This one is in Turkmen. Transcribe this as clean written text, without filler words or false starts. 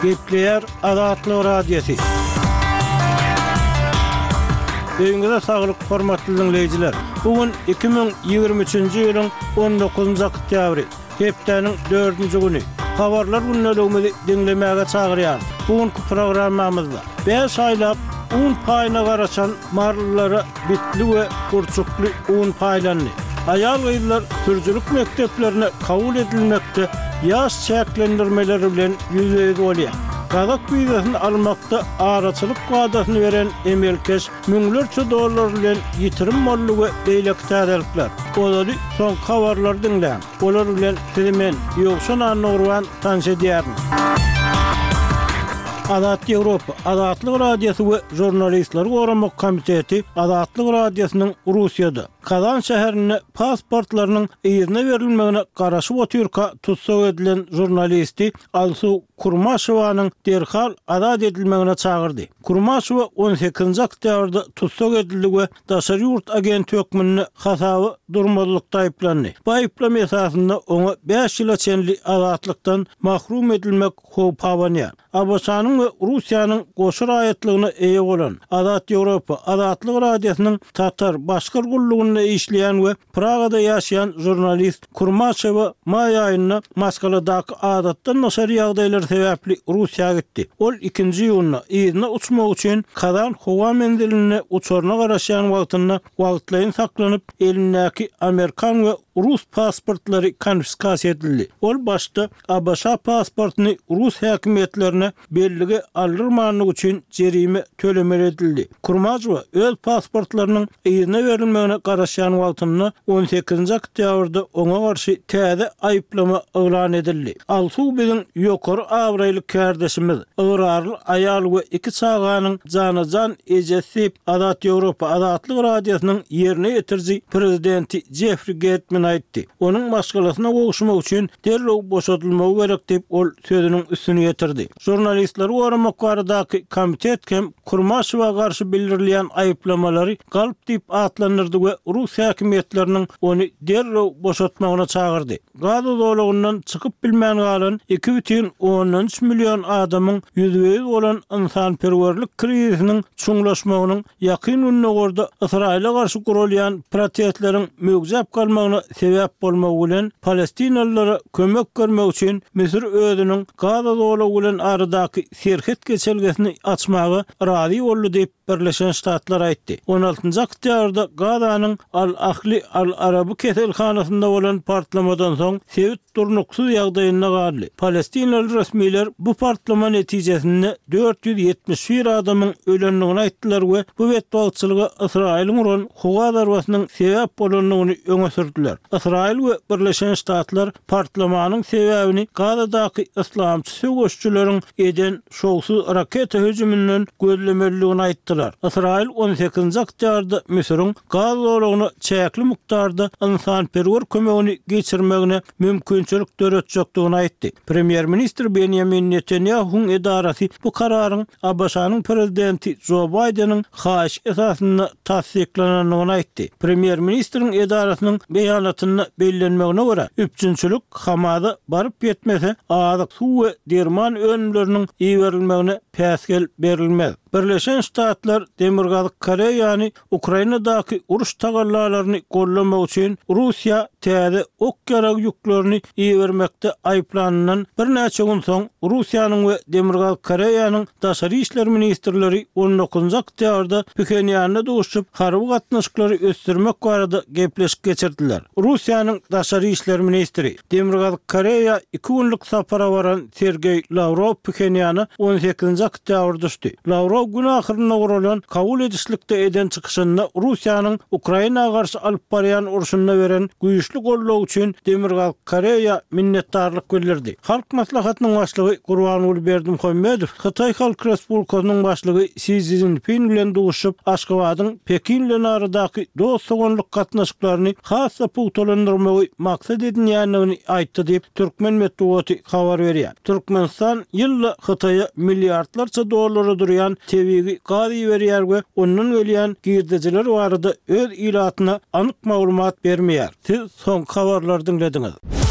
Gepleýär Azatlyk Radiosy. Öýüňize saglyk, hormatly diňleýjiler! Bu gün 2023-nji ýylyň 19-njy oktýabry, hepdäniň dördünji güni. Habarlar gündeligimizi diňlemäge çagyrýarys. Bu günki programmamyzda bäş aýlap un paýyna garaşan marylylara bitli we gurçukly un paýlandy. Aýal-gyzlar sürüjilik mekdeplerine kabul edilmekde ýaş çäklendirmeleri bilen ýüzbe-ýüz bolýar. Gazak wizasyny almakda araçylyk wadasyny beren emelkeş müňlerçe dollar bilen ýitirim boldy we beýleki täzelikler. Ozaly soňky habarlary diňläň. Olar bilen sizi men, Ýowşan Annagurban tanyş edýärin. Azat Ýewropa, Azatlyk Radiosy we Žurnalistleri goramak komiteti Azatlyk Radiosynyň Russiýada, Kazan şäherinde pasportlarynyň yzyna berilmegine garaşyp otyrka tussag edilen žurnalisti Alsu Kurmaşewanyň derhal azat edilmegine çagyrdy. Kurmaşewa on sekizinji oktýabrda tussag edildi we daşary ýurt agenti hökmünde hasaba durmazlykda aýyplandy. Bu aýyplama esasynda oňa bäş ýyla çenli azatlykdan mahrum edilmek howpy abanýar. ABŞ-nyň we Russiýanyň goşa raýatlygyna eýe bolan, Azat Ýewropa, Azatlyk Radiosynyň Tatar, Başgyr gullugynda işleýän we Pragada ýaşaýan žurnalist Kurmaşewa maý aýynda maşgaladaky adatdan daşary ýagdaýlar sebäpli Russiýa gitdi. Ol ikinji iýunda yzyna uçmak üçin Kazan howa menzilinde uçaryna garaşýan wagtynda wagtlaýyn saklanyp, elindäki amerikan we rus pasportlary konfiskasiýa edildi. Ol başda ABŞ pasportyny rus häkimiýetlerine bellige aldyrmanlygy üçin jerime tölemeli edildi. Kurmajowa öz pasportlarynyň yzyna berilmegine garaşýan wagtynda on sekizinji oktýabrda oňa garşy täze aýyplama yglan edildi. Alsu biziň ýokary abraýly kärdeşimiz, ygrarly aýal we iki çaganyň jana-jan ejesi diýip, Azat Ýewropa Azatlyk Radiosynyň ýerine ýetiriji prezidenti Jeffri Gertman aýtdy. Onuň maşgalasyna gowuşmak üçin derrew boşadylmagy gerek diýip, ol sözüniň üstüni ýetirdi. Žurnalistleri goramak baradaky komitet hem Kurmaşewa garşy bildirilýän aýyplamalary galp diýip atlandyrdy we rus häkimiýetleriniň ony derrew boşatmagyna çagyrdy. Gaza zolagyndan çykyp bilmän galan 2,3 million adamyň ýüzbe-ýüz bolan ynsanperwerlik krizisiniň çuňlaşmagynyň Ýakyn Gündogarda Ysraýyla garşy guralýan protestleriň möwjäp galmagyna sebäp bolmagy bilen, palestinalylara kömek bermek üçin Müsür özüniň Gaza zolagy bilen aradaky serhet geçelgesini açmaga razy boldy diýip, Birleşen Ştatlar aýtdy. On altynjy oktýabrda Gazanyň Al-Ahli Al-Araby keselhanasynda bolan partlamadan soň sebit durnuksyz ýagdaýynda galdy. Palestinaly resmiler bu partlama netijesinde 471 adamyň ölendigini aýtdylar we bu betbagtçylyga Ysraýylyň uran howa zarbasynyň sebäp bolandygyny öňe sürdüler. Ysraýyl we Birleşen Ştatlar partlamanyň sebäbini Gazadaky yslamçy söweşijileriň eden şowsuz raketa hüjüminden gözlemelidigini aýtdylar. Ysraýyl on sekizinji oktýabrda Müsüriň Gaza zolagyna çäkli mukdarda ynsanperwer kömegini geçirmegine mümkinçilik döretjekdigini aýtdy. Premýer-ministr Benýamin Netanýahuwyň edarasy bu kararyň ABŞ-nyň prezidenti Jo Baýdeniň haýyşy esasynda tassyklanandygyny aýtdy. Premýer-ministriň edarasynyň beýanatynda bellenmegine görä, üpjünçilik Hamaza baryp ýetmese, azyk, suw we derman önümleriniň iberilmegine päsgel berilmez. Birleşen Ştatlar Demirgazyk Koreýany Ukrainadaky uruş tagallalaryny goldamak üçin Russiýa täze ok-ýarag ýüklerini ibermekde aýyplanyndan birnäçe gün soň, Russiýanyň we Demirgazyk Koreýanyň daşary işler ministrleri on dokuzynjy oktýabrda Phenýanda duşuşyp, harby gatnaşyklary ösdürmek barada gepleşik geçirdiler. Russiýanyň daşary işler ministri, Demirgazyk Koreýa iki günlük sapara baran Sergeý Lawrow Phenýana on sekizinji oktýabr düşdi. Lawrow gün ahyrynda guralan kabul edişlikde eden çykyşynda Russiýanyň Ukraina garşy alyp barýan urşunda beren güýçli goldawy üçin Demirgazyk Koreýa minnetdarlyk bildirdi. Halk Maslahatynyň Başlygy Gurbanguly Berdimuhamedow Hytaý Halk Respublikasynyň Başlygy Si Szinpin bilen duşuşyp, Aşgabadyň Pekin bilen aradaky dost-doganlyk gatnaşyklaryny has-da pugtalandyrmagy maksat edinýändigini aýtdy diýip, türkmen metbugaty habar berýär. Türkmenistan ýylda Hytaýa milliardlarça dollara durýan tebigy gaz iberýär we ondan gelýän girdejiler barada öz ilatyna anyk maglumat bermeýär. Siz soňky habarlary diňlediňiz.